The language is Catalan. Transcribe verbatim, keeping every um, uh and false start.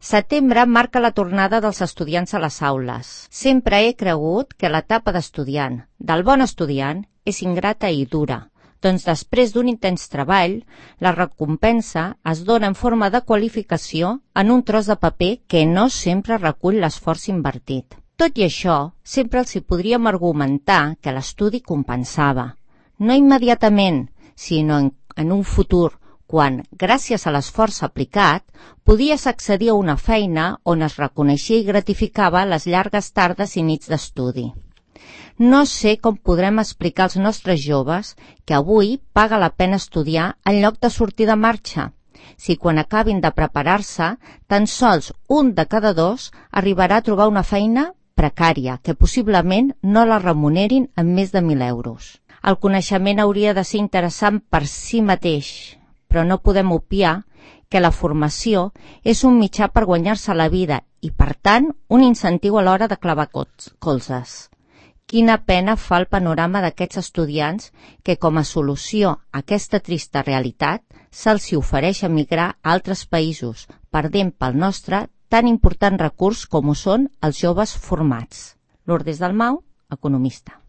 Setembre marca la tornada dels estudiants a les aules. Sempre he cregut que l'etapa d'estudiant, del bon estudiant, és ingrata i dura. Doncs després d'un intens treball, la recompensa es dona en forma de qualificació en un tros de paper que no sempre recull l'esforç invertit. Tot i això, sempre els hi podríem argumentar que l'estudi compensava. No immediatament, sinó en, en un futur, quan, gràcies a l'esforç aplicat, podies accedir a una feina on es reconeixia i gratificava les llargues tardes i nits d'estudi. No sé com podrem explicar als nostres joves que avui paga la pena estudiar en lloc de sortir de marxa, si quan acabin de preparar-se, tan sols un de cada dos arribarà a trobar una feina precària, que possiblement no la remunerin en més de mil euros. El coneixement hauria de ser interessant per si mateix, però no podem obviar que la formació és un mitjà per guanyar-se la vida i, per tant, un incentiu a l'hora de clavar colzes. Quina pena fa el panorama d'aquests estudiants que, com a solució a aquesta trista realitat, se'ls ofereix emigrar a altres països, perdent pel nostre tan important recurs com ho són els joves formats. Lourdes Dalmau, economista.